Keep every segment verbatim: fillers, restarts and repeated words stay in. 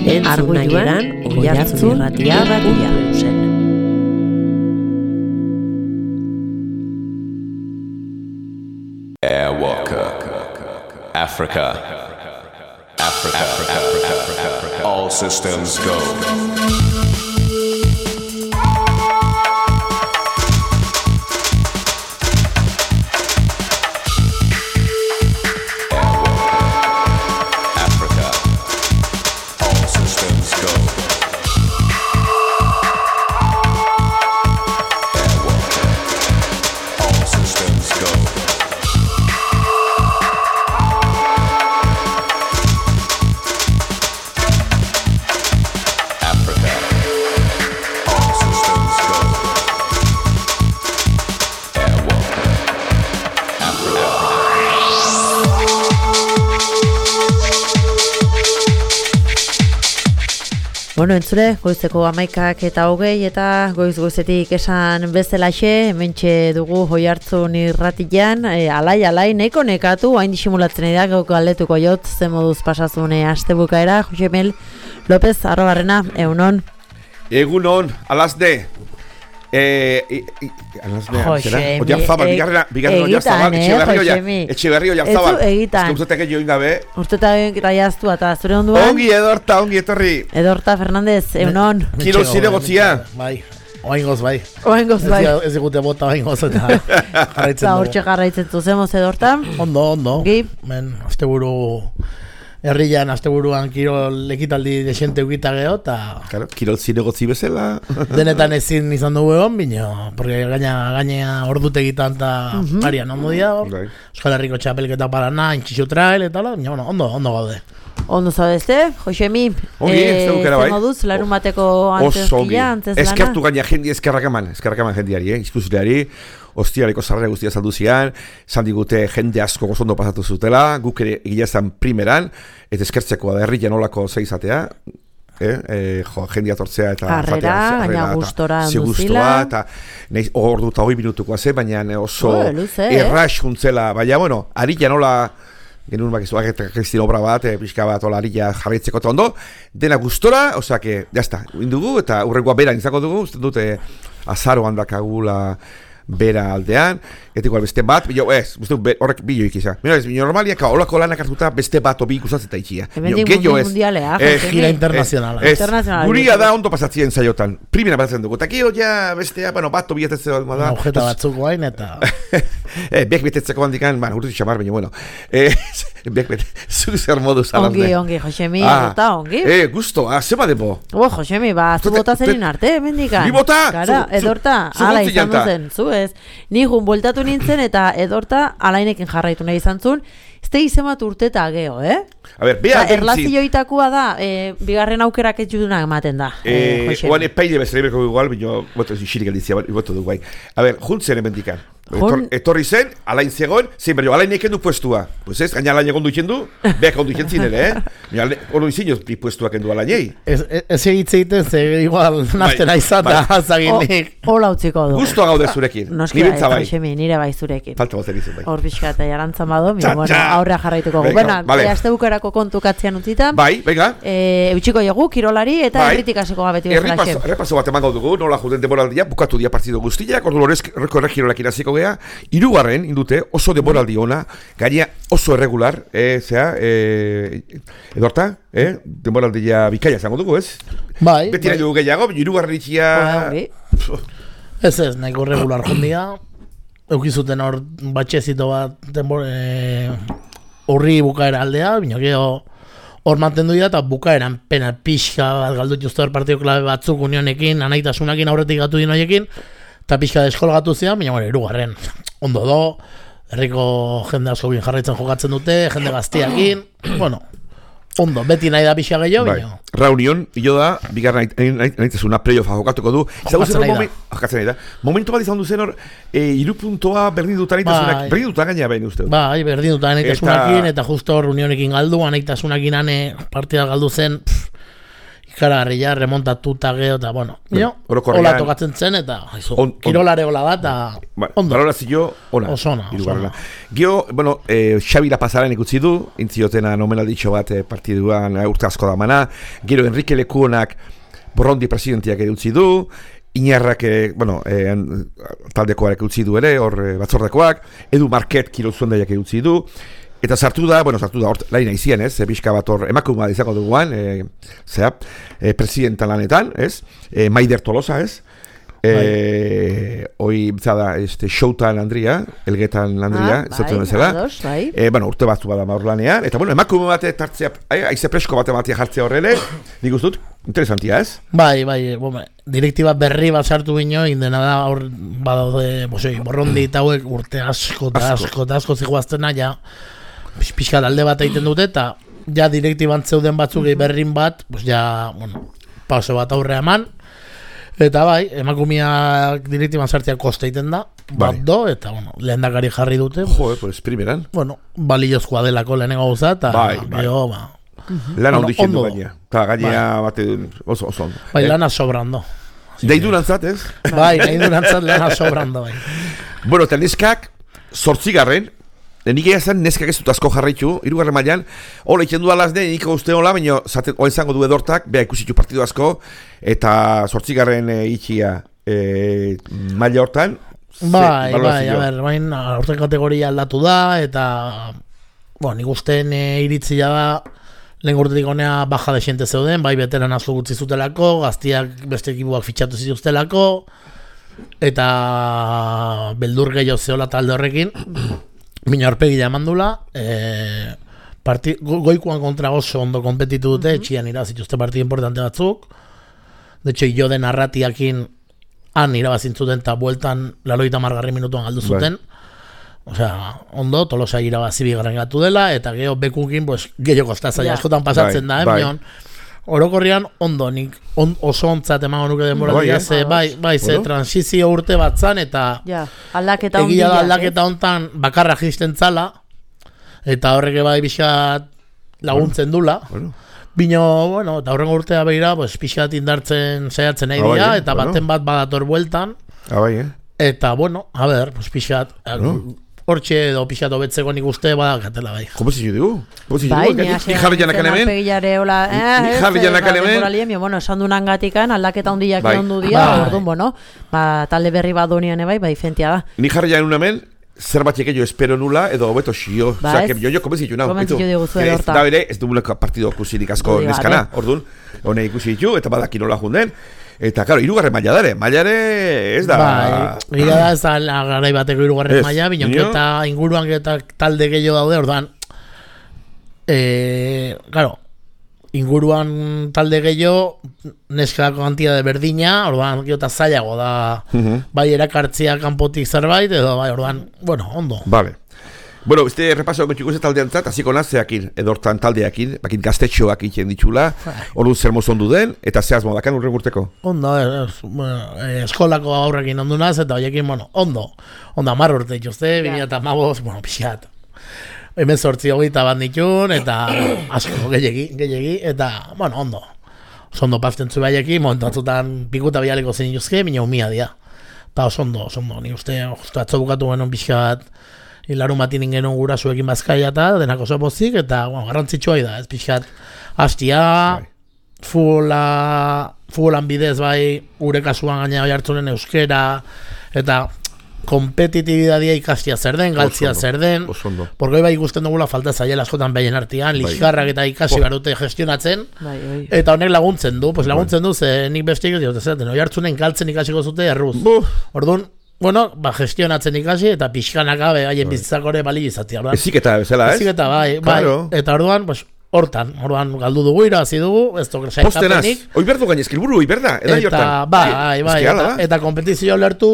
Arguiluan Oiartzun irratia batia zen. Airwalker, Africa, Africa, Africa, Africa, all systems go. Bueno, entzure, goizeko amaikak eta hogei eta goiz-goizetik esan bezalaxe, hementxe dugu Oiartzun irratian, e, alai, alai, neko nekatu, hain disimulatzen da, gauko galdetuko jot, zen moduz pasazune astebukaera, Josemel López, arrobarrena, egunon. Egunon, alazde. Eh, alazde, zera? Oiarzabal, bigarrena, bigarrena Oiarzabal, Etxeberri Oiarzabal. Egitan. Ez que ustetek join gabe. Ustetek raiaztu eta zure onduan. Ongi, Edorta, ongi, etorri. Edorta Fernandez, egunon. Kilo zire gotzia. Bai, oaingoz bai. Oaingoz bai. Ez digute bota oaingoz eta jarraitzen dugu. Hortxe jarraitzen zuzemoz, Edorta. Ondo, ondo. Gi. Men, asteburu... Herrian, asteburuan kirol ekitaldi desente ukita geho, eta... Claro, kirol zinegotzi bezala. Denetan ezin izan dugu egon, bino, porque gaina, gaina ordutegitan eta uh -huh. arian ondo dia, hor. Euskal Herriko txapelketa parana, intxixo trail, eta la, bino, bueno, ondo, ondo gaude. Ondo zabezte, Josemi, ongi, ez dukera bai. Zer moduz, larun bateko antezkia, antes lana? Eskertu gaina jendi, eskerrak eman, eskerrak eman jendiari, eh, izkusileari. Ostiareko sarrera guztia saldu zian, zan digute jende asko gozondo pasatu zutela, guk ere egia zan primeran, eta eskertzekoa da herrian olako zeizatea, eh, eh, jo, jendia tortzea eta harrera, gaina gustora duzila, eta hor dut hogei minutukoa ze, baina oso oh, errax juntzela, baina, bueno, harrian ola, genuen bakizuak eta kristin obra bat, e, pixka bat ola harria jarraitzeko eta ondo, dena gustora, osea, que, jazta, indugu, eta urrengoa beran izango dugu, uste dute azaroan dakagula, bera aldean, eta igual beste bat, bilo, ez, horrek bilo ikiza. Mira, ez, normaliak olako lanak hartuta beste bat obi ikusatzen taitxia. Hemendik mundialea, eh, gira internazionala. Ez, guria da ondo pasatzien zaiotan. Primera pasatzen dugu. Eta gero ja bestea, bueno, bat obi etetzeko alma da. Ojeta batzuk guain eta... eh, bek betetzeko handikan, bueno, urte txamar, baina, bueno. Eh, bek betetzeko zer moduz alazde. Ongi, ongi, Josemi, eta ongi. Eh, gusto, ah, zema debo. Oh, Josemi, ba, zu bota zerin arte, hemendikan. Ni bota? Kara, edorta, ala izan duzen, zu ez. Ni jun bueltatu nintzen eta Edorta alainekin jarraitu nahi izan zuen. Ez da izan bat urteta geho, eh? A ber, beha bentzi... Erlazioitakoa da, e, bigarren aukerak ez judunak ematen da. Eh, eh, oan epaile bezala berko igual, bino, boto, xirik aldizia, boto du guai. A ber, juntzen emendikan. Etor, etorri zen, alain zegoen, zein berrio, alain eken du puestua. Pues ez, gaina alain egon du iken du, behak ondu iken zinen, eh? Ono izin joz puestua eken du alainei. Ez egitze egiten, ze igual naztena izan da, zaginik. Hola utziko du. Gustoa gaude zurekin, nibentza bai. Nire bai zurekin. Falta bozen izan bai. Hor pixka eta jarantzan bado, mi, bueno, aurrea jarraituko gu. Bueno, aste bukerako kontu katzian utzita. Bai, venga. Eutxiko jogu, kirolari eta erritik hasiko gabeti bezala xe. Errepaso bat eman gaudugu, nola juden demoraldia, bukatu dia partido guztiak, ordu lorezko erregirolekin hasiko gea, hirugarren indute oso demoraldi ona, gaina oso erregular, eh, zera, eh, Edorta, eh, demoraldia bikaia zango dugu, ez? Bai. Beti nahi dugu gehiago, hirugarren itxia... Ez ez, nahiko regular jondia, eukizuten hor batxezito bat horri bukaera aldea, bino geho hor mantendu dira eta bukaeran pena pixka bat galdut justu hor partio klabe batzuk unionekin, anaitasunakin aurretik gatu dinoiekin, eta pixka deskolgatu zian, baina bueno, irugarren ondo do, herriko jende asko bin jarraitzen jokatzen dute, jende gaztiakin, bueno, ondo, beti nahi da pixka gehiago, bai. Bino. Reunion, hilo da, bigarren nahitzazuna playoffa jokatuko du. Jokatzen nahi da. Jokatzen nahi da. Momentu bat izan duzen hor, e, iru puntoa berdin duta nahitasunak, bai. Berdin duta gaina behin uste. Bai, berdin duta nahitasunakin, eta, eta justo hor unionekin galdu, nahitasunakin ane partida galdu zen, pff, ikaragarria, remontatuta geho, eta, bueno, bueno hola tokatzen zen, eta haizu, on, kirolare hola da, eta ba, ondo. Balorazio, ona. Osona, osona. Gio, bueno, eh, Xabi La Pasaren ikutzi du, intziotena nomenalditxo bat eh, partiduan urte asko da mana, gero Enrique Lekuonak Borrondi presidentiak ere utzi du, Iñarrak, eh, bueno, eh, taldekoak utzi du ere, hor eh, batzordekoak, Edu Market kirol zuendaiak ere utzi du, eta sartu da, bueno, sartu da, hor laina izien, ez, pixka bat hor, emakume bat izango duguan, e, zera, e, presidentan lanetan, ez, e, Maider Tolosa, ez, e, hoi, zada, este, Showtan Andria, Elgetan Andria, ah, zautzen bezala, bai. e, bueno, urte batzu bada maur lanean, eta, bueno, emakume bat tartzea, aize presko bat ematia jartzea horrele, nik ustut, interesantia, ez? Bai, bai, bome, direktiba berri bat sartu bino, indena da, hor, badaude, bosei, Borrondi eta hauek urte asko, eta asko, eta asko ziguaztena, ja, pixka alde bat egiten dute, eta ja direktiban zeuden batzuk berrin bat, pues ja, bueno, pauso bat aurre eman, eta bai, emakumiak direktiban sartzea koste egiten da, bat bai. Do, eta bueno, lehendakari jarri dute. Jo, pues primeran. Bueno, baliozkoa delako lehenengo gauza, eta bai, bai. Bio, ba, lana ondo izen du gaina. Eta gaina bate oso, oso ondo. Bai, eh? Lana sobrando. Deidu lantzat, ez? Bai, deidu lantzat lana sobrando, bai. Bueno, eta neskak, zortzigarren, nik egia zen neskak ez dut asko jarraitu, hirugarren mailan, hola iken du alaz de, nik uste hola, baina hoa izango du edortak, beha ikusitu partidu asko, eta zortzigarren e, itxia e, maila hortan. Bai, bai, a ber, bain, horten kategoria aldatu da, eta, bon, nik ustean e, iritzia da, lehen urtetik honea baja de xente zeuden, bai beteran asko gutzi zutelako, gaztiak beste ekibuak fitxatu zituztelako, eta beldur gehiago zehola talde horrekin, Mina horpegila eman dula, e, parti, go, goikuan kontra oso ondo kompetitu dute, mm-hmm. Etxian irabazituzte partidu importante batzuk. De hecho, jo den arratiakin han irabazintzuten eta bueltan laroita margarri minutuan galdu zuten. Right. Osea, ondo, Tolosa irabazi bigarren gatu dela, eta geho bekukin, pues, gehiago kostazaia yeah. askotan pasatzen right. da, eh, right. Orokorrian ondo, nik on, oso ontzat emango nuke denboratia, no, ze bai, bai, ze transizio urte bat zan, eta ja, aldaketa egia da aldaketa hontan bakarra jisten zala, eta horreke bai pixat laguntzen dula. Bueno. Bino, bueno, eta horrengo urtea behira, pues, pixat indartzen saiatzen nahi dira, eta bueno. Baten bat badator bueltan. Abai, eh? Eta, bueno, a ver, pues, pixat... Bueno. Hortxe edo pixat hobetzeko nik uste badakatela bai. Como si yo digo? Bai, ni jarri janak hemen. Ni jarri janak hemen. Bueno, esan dunan gatikan aldaketa hundiak ondu dia, orduan, bueno, ba, talde berri bat dunian bai, bai, fentia da. Ni jarri janak hemen, zer batxeke jo espero nula, edo hobeto xio. Osa, que jo jo komenzi junau. Komenzi jo diguzu edo horta. Da bere, ez duguleko partido kusirik asko neskana, orduan, hone ikusi ditu, eta badaki nola junden. Eta, claro, irugarren maila dare, mailare ez da... Bai, gira da ez da garai bateko irugarren maila, binok eta inguruan eta talde gehiago daude, orduan, e, claro, inguruan talde gehiago, neskako kantia de berdina, orduan, gero eta zailago da, uh-huh. bai erakartzia kanpotik zerbait, edo bai, orduan, bueno, ondo. Vale. Bueno, este repaso gotxiko ze taldean zat, hasiko nazeakin, edortan taldeakin, bakin gaztetxoak itxen ditxula, orduan zer mozondu den, eta zehaz modakan urren urteko? Ondo, es, bueno, eskolako aurrekin ondu naz, eta horiekin, bueno, ondo, ondo amarr urte itxuzte, bine eta maboz, bueno, pixat. Hemen sortzi hogeita bat ditun, eta asko gehiagi, gehiagi, eta, bueno, ondo. Ondo pazten zu baieki, momentu atzutan pikuta bialeko zen ituzke, bine humia dia. Eta oso ondo, oso ondo, ni uste, justu atzo bukatu genuen pixat, hilarun bat ingen gura zuekin bazkaia eta denak oso pozik, eta bueno, garrantzitsua da, ez pixkat hastia, futbola, futbolan bidez bai, gure kasuan gaina bai hartzunen euskera, eta kompetitibidadia ikastia zer den, galtzia zer den, porque bai ikusten dugula falta zaiela askotan behien artean, liskarrak eta ikasi barute gestionatzen, bai, bai. Eta honek laguntzen du, pues laguntzen du, ze nik bestik ez dut, zeraten, oi hartzunen galtzen ikasiko zute erruz. Orduan, bueno, ba, gestionatzen ikasi eta pixkanaka haien bizitzak hori bali izatea. Eziketa bezala, ez? Eziketa, bai, bai. Eta orduan, pues, hortan, orduan galdu dugu, irabazi dugu, ez duk saikapenik. Oi berdu gainezkil buru, oi berda, edai hortan. Eta, bai, bai, eta, eta kompetizio lertu,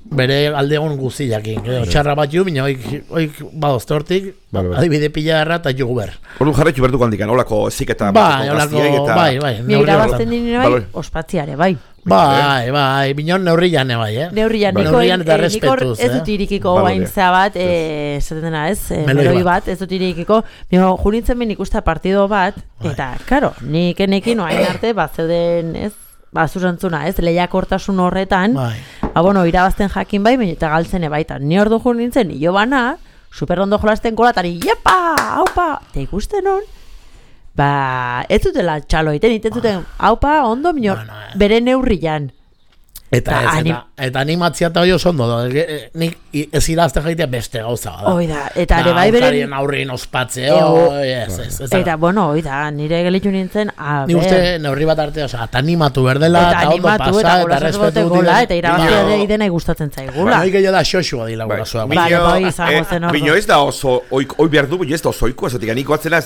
bere aldegon guziakin. Txarra bat ju, bina oik badozte hortik, adibide pila erra eta jugu ber. Orduan jarretxu berdu gandikan, holako eziketa. Bai, holako, bai, bai. Mi irabazten dine bai, ospatziare, bai. Bai, bai, binon neurrian bai, eh? Neurrian, bai. niko, neurrian eta eh, respetuz, ez dut irikiko guaintzea bat, esaten dena ez, eh, meloi bat, ez dut irikiko, nio, jurintzen ben ikusta partido bat, eta, karo, nik enekin oain arte, bat zeuden, ez, ba, zuzentzuna, ez, lehiakortasun horretan, bai. Ba, bueno, irabazten jakin bai, eta galtzen ebaitan, ni ordu jurintzen, nio bana, super ondo jolasten kolatari, jepa, haupa, eta ikusten hon, ba, ez dutela txalo iten, iten zuten, haupa, ondo, minor, bueno, eh. bere neurrian. Eta, ez, anim... eta, eta animatzia eta hori oso ondo, nik ez irazten jaitea beste gauza da. Oida, eta ere bai beren... Aukarien aurrien ospatze, oi, ez, ez, ez. Eta, bueno, oida, nire gelitu nintzen, a ber... Ni uste neurri bat arte, oza, eta animatu berdela, eta ondo pasa, eta respetu gola, eta irabazia ere idena gustatzen zaigula. Noi gehiago da xoxua dila gura zua. Bino ez da oso, oi behar du, bino ez da oso oiko, ezotik aniko atzena,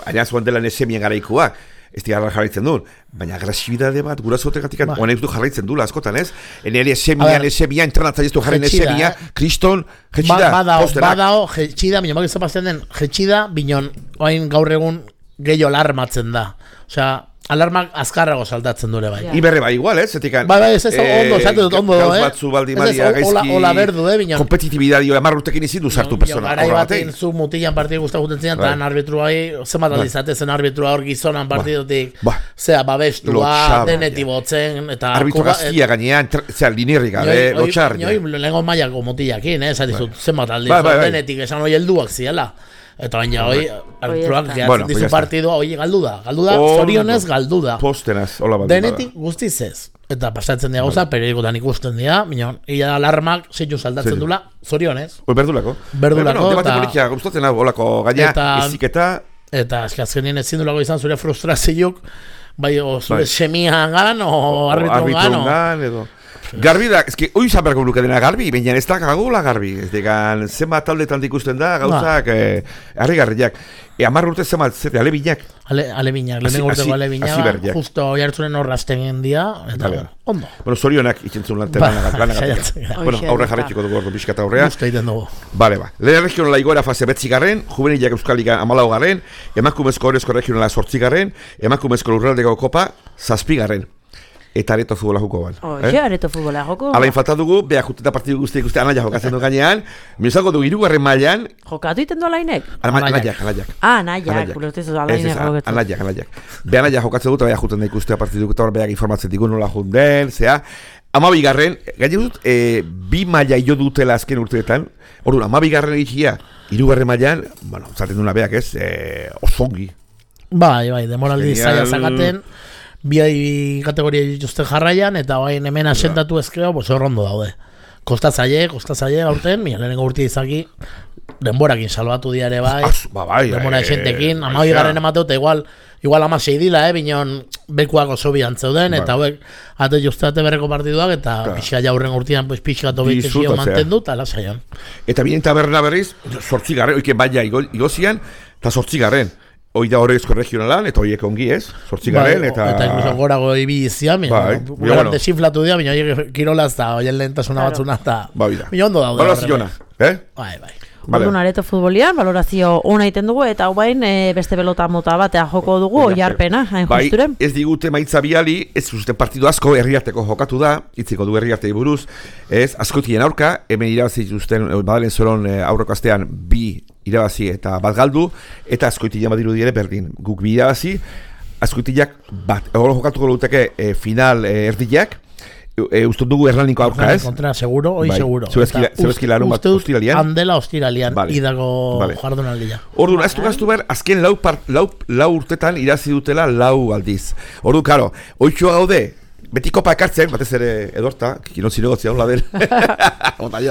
aina zuen dela nesemien garaikoa. Ez dira jarraitzen duen, baina agresibidade bat gura zotegatik ba. Honek du jarraitzen dula askotan, ez? Eneri esemian, esemian, entrenatza ez du jarren esemia, kriston, jetxida, ba, posterak. Badao, jetxida, binon bak ez zapazten den, jetxida, binon, oain gaur egun gehiago alarmatzen da. Osea, alarmak azkarrago saltatzen dure bai. Iberre bai igual, ez? Zetik, bai, bai, ez ez ondo, esatu dut ondo, eh? Batzu baldi madia gaizki... Ola berdu, eh, binon. Kompetitibidadi, amar urtekin izin du sartu persona. Garai batean zu mutilan partidu guztak guten zinean, eta arbitru bai, zemat aldizate zen arbitrua hor gizonan partidutik, zera, babestua, denetik botzen, eta... Arbitru gaztia gainean, zera, linirri gabe, lotxar. Nioi, lehenko mailako mutilakin, eh, zatizut, zemat aldizut, denetik, esan hori helduak ziela. Eta baina hoi, arbitruak gehatzen dizu partidua, hoi galdu da, galdu da, zorionez galdu da. Postenaz, hola bat. Denetik guztiz ez. Eta pasatzen dira gauza, periodikotan ikusten dira, minon, ia alarmak zeitu saldatzen dula, zorionez. Hoi, berdulako. Berdulako, eta... Debate politia, gustatzen hau, holako gaina, iziketa... Eta, azkenien ezin dulako izan zure frustrazioak, bai, o zure semian gan, o arbitron gan, edo... Garbi da, ezki, oi izan berko luke dena Garbi, baina ez da gagula Garbi, ez degan, zema taldetan ikusten da, gauzak, harri garriak. E, amar urte zema, zete, alebinak. Ale, alebinak, lehen urteko alebinak, justo jartzunen horrazten gendia, eta ondo. Bueno, zorionak itxentzun lanagatik. Bueno, aurre jarretxiko dugu ordu pixka eta aurrea. Justo egiten dugu. Bale, ba. Lehen regionala igoera fase betzigarren, juvenilak euskaliga amalau garren, emakumezko horrezko regionala sortzigarren, emakumezko lurraldeko kopa zazpigarren. Eta areto futbola joko ban. Oye, eh? Areto futbola joko. Alain falta dugu, beha juteta partidu guztiak uste anaia jokatzen du gainean. Mizango du irugarren mailan. Jokatu iten du alainek? Anaiak, anaiak. Ah, anaiak, ulertizu alainek jokatzen. Anaiak, anaiak. Beha anaia jokatzen dut, beha juten da ikustea partidu eta hor beha informatzen digu nola junden, zea. Amabigarren, gaine dut, e, bi maila jo dutela azken urteetan. Orduan, amabigarren egitea, irugarren mailan, bueno, zaten duna beak ez, e, osongi. Bai, bai, demoraldi zaila zakaten. Bi kategoria dituzten jarraian, eta bain hemen asentatu ezkeo, pues horrondo daude. Kostatzaile, kostatzaile gaurten, mila lehenengo urti izaki, denborakin salbatu diare bai, ba, bai denbora esentekin, ama bigarren emateu, eta igual, igual ama sei dila, eh, bineon bekuak oso bian zeuden, eta hauek, ate justate berreko partiduak, eta pixka jaurren urtean, pues, pixka tobitezio mantendu, eta lasaian. Eta binen taberna berriz, sortzigarren, oiken baina igozian, eta sortzigarren. Hoi da horrezko regionalan, eta horiek ongi ez, sortzigarren, eta... Eta incluso gorago ibizian, bai, bueno, desinflatu dira, baina horiek kirolaz eta horien lehentasuna batzuna, eta... Bai, da. Baina ondo daude. Baloraziona, eh? Bai, bai. Orduan areto futbolian, balorazio ona egiten dugu, eta hau bain e, beste pelota mota batea joko dugu, oiarpena, hain justuren. Bai, ez digute maitza biali, ez zuzten partidu asko herriarteko jokatu da, itziko du herriartei buruz, ez, askotien aurka, hemen irabazi zuzten, badalen zoron e, aurreko astean bi irabazi eta bat galdu, eta askoitiak badiru dire berdin, guk bi irabazi, askoitiak bat, hori jokatuko duteke e, final e, erdiak, E, uste dugu Hernaniko aurka ez? Kontra, seguro, oi bai. seguro. Zebezki larun bat ostiralian? Handela ostiralian, vale. Idako vale. jardunaldia. Orduan, ez du gaztu behar, azken lau, part, lau, lau urtetan irazi dutela lau aldiz. Orduan, karo, oitxoa gaude, beti kopa ekartzen, batez ere edorta, kinon zinegotzia honla den. Eta,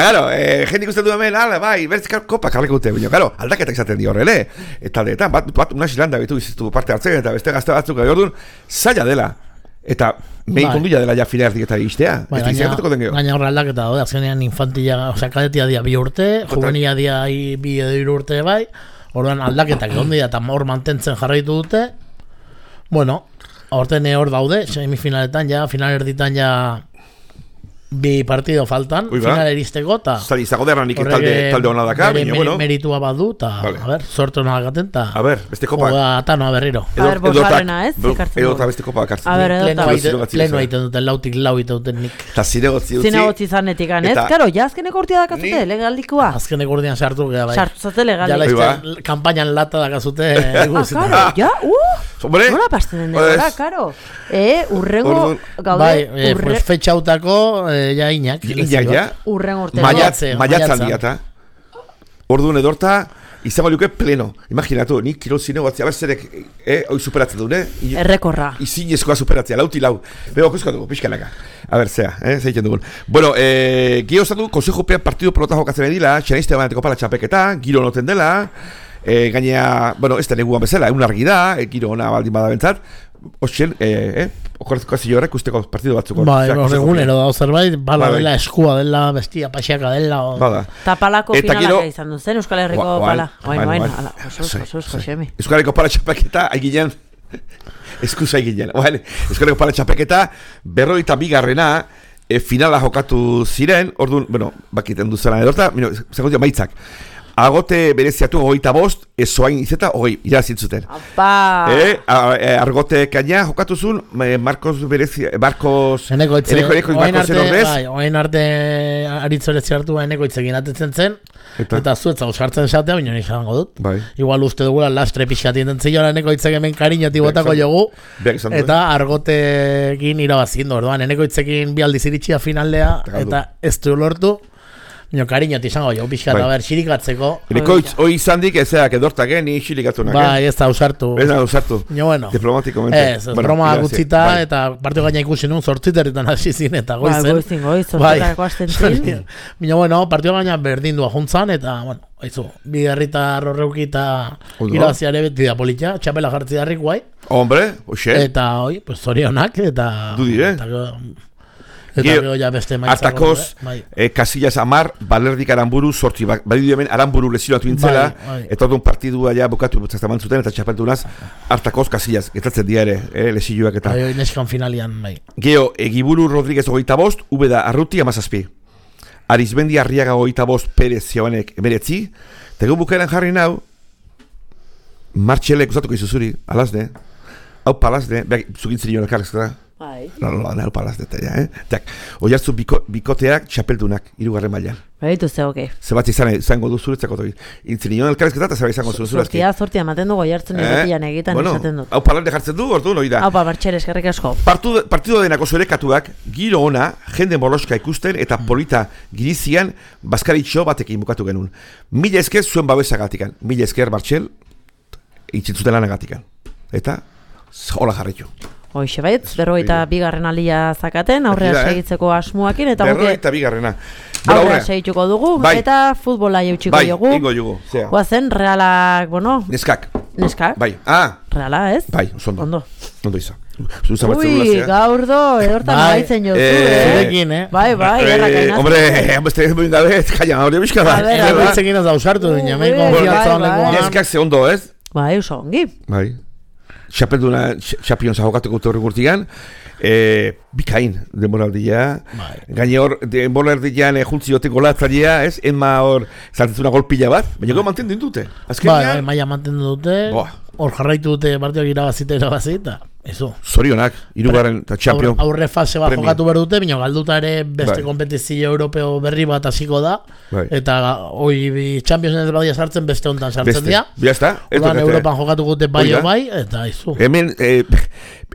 garo, eh, jendik uste du hemen, ala, bai, bertzik kopa karreko dute, baina, garo, aldaketak izaten di horrele. Eta aldeetan, bat, bat, una xilanda bitu izitu parte hartzen, eta beste gazte batzuk, orduan, zaila dela. Eta mehin konduia dela ja fila erdik eta istea. Bai, gaina horre aldaketa daude, azkenean infantila, osea, kadetia dia bi urte, juvenila dia bi edo urte bai, orduan aldaketak egon dira eta hor mantentzen jarraitu dute. Bueno, aurten hor daude, semifinaletan ja, final erditan ja bi partido faltan, final eristeko, eta Zali, zago derranik talde, talde hona daka, bere bueno. meritua badu, eta, vale. a ber, sortu hona gaten, eta... A ber, beste kopa. Oga, eta noa berriro. A ber, bosgarrena, ez? Edo eta beste kopa akartzen. A ber, edo eta... Leno egiten duten, lautik lau egiten duten nik. Eta zinegotzi utzi. Zinegotzi zanetik, ez? Karo, ja azkeneko urtia dakazute, legaldikoa. Azkeneko urtian sartu, gara bai. Sartu zate legaldik. Ja laizte, kampainan lata dakazute. Ah, karo, ja, uh! Nola pasten den degora, karo. E, urrengo gaude... Bai, pues fetxautako, ja inak. Inak, ja. Urrengo urtego. Maiatzan diata. Orduan edorta, izango liuke pleno. Imaginatu, nik kirol zinegoatzea, berzerek, eh, hoi superatzen duen, eh? Errekorra. Izinezkoa superatzea, lauti lau. Bego, koskatu, pixkanaka. A ber, zea, eh, zeitzen dugun. Bueno, eh, gio zatu, konsejopean partidu pelota jokatzen edila, txanaizte baneteko pala txapeketa, giro noten dela, eh, gainea, bueno, ez da neguan bezala, egun argi da, eh, giro ona baldin bada bentzat, Oxen, eh, eh, okorrezko hasi horrek usteko partidu batzuko. Bai, egunero da, zerbait, bala dela, eskua dela, bestia, paxiaka dela. Bada. Ta palako finalaka izan duen zen, Euskal Herriko pala. Oain, oain, ala, oso, oso, oso, xemi. Euskal Herriko pala txapeketa, haiginen, eskusa haiginen. Euskal Herriko pala txapeketa, berroita bigarrena, finala jokatu ziren, orduan, bueno, bakiten duzela edorta, zagotia maitzak. Agote bereziatu hogeita bost, ezoain izeta hogei, irazintzuten. Apa! Eh, argote kaina jokatuzun, Marcos berezi, Marcos... Eneko itze, oain arte, bai, oain arte aritzorezi hartu, eneko itzekin atetzen zen, eta, eta zuetza usartzen esatea, baina nik zango dut. Bai. Igual uste dugula lastre pixatien den ziola, eneko itzek hemen kariñoti botako jogu, eta argotekin irabazindu, orduan, eneko itzekin bi aldiz iritsia finaldea, eta ez du lortu. Nio, kariñoti izango jo, pixkat, bai. Aber, xirikatzeko. Nikoitz, hoi izandik, ezeak edortak, eh, ni xirikatunak, eh? Bai, ez da usartu. Ez da usartu. Nio, bueno. Diplomatikomente. Ez, ez, bueno, broma gutzita, bai. Eta partio gaina ikusi nun, sortziterritan hasi zin, eta goizen. Bai, goizin, goiz, sortzitarako hasten zin. Nio, bueno, partio gaina berdindua juntzan, eta, bueno, haizu, bi herritar horreuki eta irabaziare beti da politia, txapela jartzi darrik guai. Hombre, oxe. Eta, oi, pues, zorionak, eta... Du dire. Eta gero ja beste maitzako. Artakoz, eh, Casillas Amar, Balerdik Aramburu, sortzi, badidu hemen Aramburu lesionatu intzela, bai, bai. Eta orduan partidua ja bukatu zaztaman zuten, eta txapeltunaz, Artakoz, Casillas, getatzen dira ere, eh, lesioak eta... Bai, neskan finalian, bai. Geo, Egiburu Rodríguez hogeita bost, Ubeda Arruti amazazpi. Arizmendi Arriaga hogeita bost, Perez Zioanek emeretzi, tegun bukaeran jarri nau, Martxelek usatuko izuzuri, alazne, hau palazne, behar, zugintzen joan elkarrezketa. Bai. No, no, no, palaz deta, ja, eh? Tak, oiartzu biko, bikoteak txapeldunak, hirugarren mailan. Baitu ze, oke. Zebat izan, izango du zuretzako toi. Intzin nion elkarrezketa eta zebat izango zu zuretzki. Zortia, zortia, ematen dugu, oiartzen egitian egiten bueno, esaten dut. Hau palaz jartzen du, ordu, noi da. Hau pa, Martxel, eskerrik asko. Partido denako zurekatuak, giro ona, jende moloska ikusten eta polita girizian, baskaritxo batekin bukatu genuen. Mila esker zuen babesagatikan. Mila esker, Martxel, itxitzuten lanagatikan. Eta, hola jarritu. Hoixe baitz, berrogeita bigarren alia zakaten, aurrea segitzeko asmoakin, eta berrogeita bigarrena. Aurrea segituko dugu, bai. Eta futbola jautxiko bai, jogu. Bai, ingo jogu, zea. Guazen, Realak, bueno... Neskak. Neskak. Bai, ah. Reala, ez? Bai, ondo. Ondo. Ondo izan. Ui, gaur do, edortan bai. Baitzen jozu, eh? Zurekin, eh? Bai, bai, erra kainaz. Hombre, beste ez moin gabe, kaina, hori bizka da. Gaitzekin ez da usartu, dina, mei konfiatza honeko. Neskak ze ondo, ez? Bai, oso ongi. Bai. Xapelduna, Champions jokatuko torri gurtigan, e, bikain denboraldia, bai. Gaine hor, denboraldian e, juntzi jote golatzailea, ez? Enma hor, zantzuna golpila bat, baina gero mantendu dute. Bai, bai, maia mantendu dute, hor jarraitu dute partioak irabazita irabazita. Eso. Zorionak, hirugarren eta Champions. Aurre fase bat jokatu behar dute, baina galduta ere beste bai. Kompetizio europeo berri bat hasiko da, bai. Eta hoi Champions ez badia sartzen, beste hontan sartzen dira. Biazta. Odan Europan jokatu gute bai o bai, eta izu. Hemen, eh,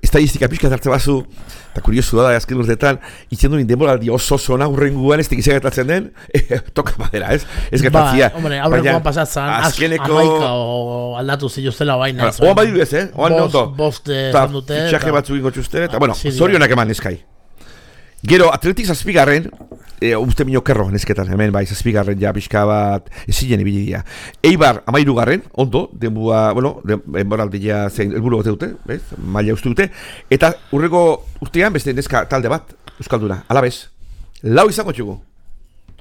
estadistika pixka zartze bazu, eta kuriosu da, azken urteetan, itzen duen denboraldi oso zona hurrenguan, ez tekizia gertatzen den, eh, toka badera, ez? Ez gertatzia. Ba, hombre, aurrenguan pasatzen, azkeneko... amaika o aldatu ziluztela baina. Oan badiru ez, eh? Oan neondo. Bost dute. Fitxaje batzuk ingo txusten, eta, bueno, zorionak eman eskai. Gero, Atletik zazpigarren, e, uste minio kerro nesketan, hemen bai, zazpigarren ja pixka bat ezinen ibidia. Eibar, amairugarren, ondo, denbua, bueno, denboraldia zein helburu bate dute, bez, maila uste dute, eta urrego urtean beste neska talde bat, Euskalduna, alabez, lau izango txugu.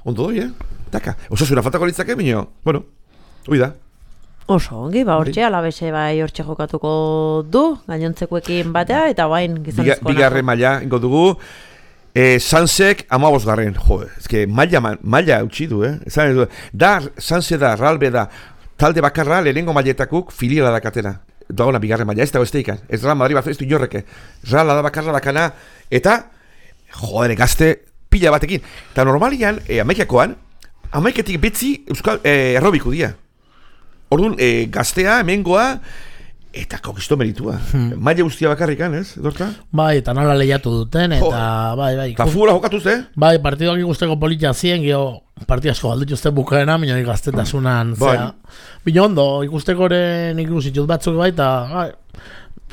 Ondo doi, eh? Taka, osasuna faltako litzake, minio, bueno, hoi da. Oso, ongi, ba, hortxe, alabese bai hortxe jokatuko du, gainontzekoekin batea, eta bain gizonezkoa. Bigarren maila, ingo dugu, E, Sansek amabos garren, jo, ezke, maila, maila utzi du, eh? Ezan, da, Sanse da, Ralbe da, talde bakarra, lehenengo mailetakuk filiala dakatena. Dagona bigarren maila, ez dago ez teikan. Ez Real Madrid bat, ez du jorreke. Real da bakarra dakana, eta, joder, gazte pila batekin. Eta normalian, e, amaikakoan, amaiketik betzi euskal e, errobiku dia. Orduan, e, gaztea, hemengoa, eta kokisto meritua. Hmm. Maile guztia bakarrikan, ez, Edorta? Bai, eta nola lehiatu duten, eta jo. bai, bai. Eta futbola jokatuz, eh? Bai, partidoak ikusteko politia zien, geho, partidu asko galdut uste bukaena, minoi gaztetasunan, bai. zera. Bino ondo, ikustekoren ikusitut batzuk bai, eta bai,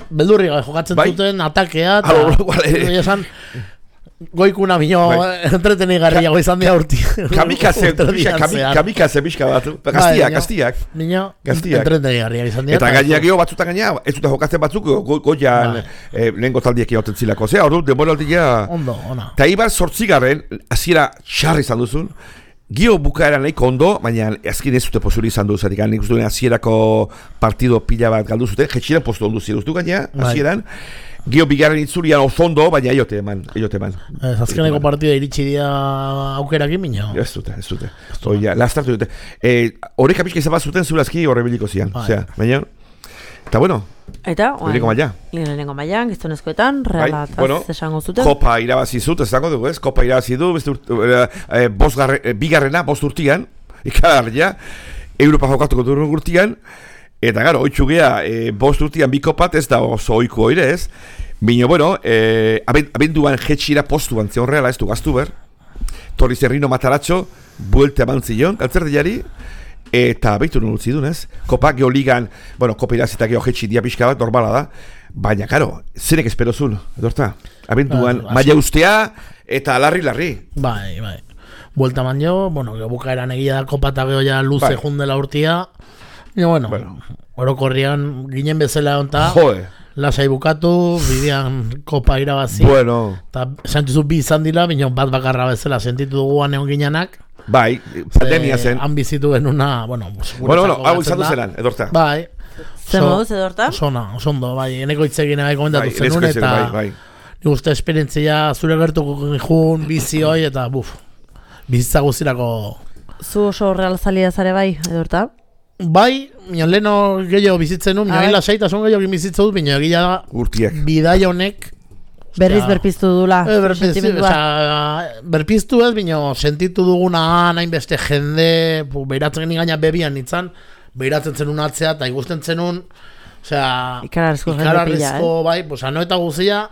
beldurri gai, jokatzen bai? Zuten, atakea, eta esan, goikuna bino entreteni garria goizan dia urti. Kamikaze, kamikaze pixka bat. Gaztiak, gaztiak. Bino, entreteni garria goizan dia. Eta gainak geho batzutan gaina, ez dute jokatzen batzuk, goian lehenko taldiek egoten zilako. Zea, hor du, demoraldia... Ondo, ona. Eta ibar sortzigaren, hasiera txarri izan duzun, gio bukaeran nahiko ondo, baina azkin ez zute posuri izan du, zatik, nik uste duen hasierako partido pila bat galdu zuten, jetxiren postu ondu ziren, uste gaina, hasieran, gio bigarren itzulian ozondo, baina eiote eman, eiote eman. Ez, azkeneko partida iritsi dira aukerakin minio. Ez dute, ez dute. Oia, lastartu dute. Horrek apizka izan bat zuten zurazki horre biliko zian. Osea, baina, eta bueno, eta, lehenengo maila. Lehenengo maila, giztonezkoetan, realataz bueno, esango zuten. Kopa irabazi zut, esango dugu ez, kopa irabazi du, e, garre, e, bigarrena, bost urtian, ikagarria, Europa jokatuko du urtian, eta gara, oitxu geha, e, bost urtian bi kopat ez da oso oiku oire ez, bino, bueno, e, abenduan jetxira postuan zeon reala ez du gaztu ber, Torri Zerrino Mataratxo, buelte eman zion, altzerdiari, eta behitu nun utzi dun ez, kopa geoligan, bueno, kopa irazita geho jetxi dia pixka bat, normala da, baina, karo, zenek esperozun, edorta, abenduan, uh, maila ustea, eta larri-larri. Bai, bai, buelta man jo, bueno, bukaeran egia da kopa eta geho ja luze bai. Jundela urtia. Y bueno, bueno. Orokorrian ginen bezala onta, lasai bukatu, bidean kopa irabazi. Bueno. Eta sentizu bi izan dira, bineon bat bakarra bezala sentitu duguan egon ginenak. Bai, pandemia zen. Han bizitu genuna, bueno, bueno, bueno, hau izan duzenan, Edorta. Bai. Zer moduz, Edorta? Sona, osondo, bai, eneko itzegin bai komentatu bai, zenun, eta bai, bai. Nik uste esperientzia zure gertuko jun, bizi hoi, eta buf, bizitza guztirako. Zu oso real zalia zare bai, Edorta? Bai, minon leheno gehiago bizitzen nu, minon lasaitasun gehiago bizitzen dut, minon egia da urtiak. Bidaia honek berriz berpiztu dudula, e, berpiztu, oza, berpiztu ez, minon sentitu duguna nahin beste jende, behiratzen gaina bebian nintzen, behiratzen zenun atzea, eta ikusten zenun, osea, ikararezko, ikararezko eh? Bai, oza, no eta guzia,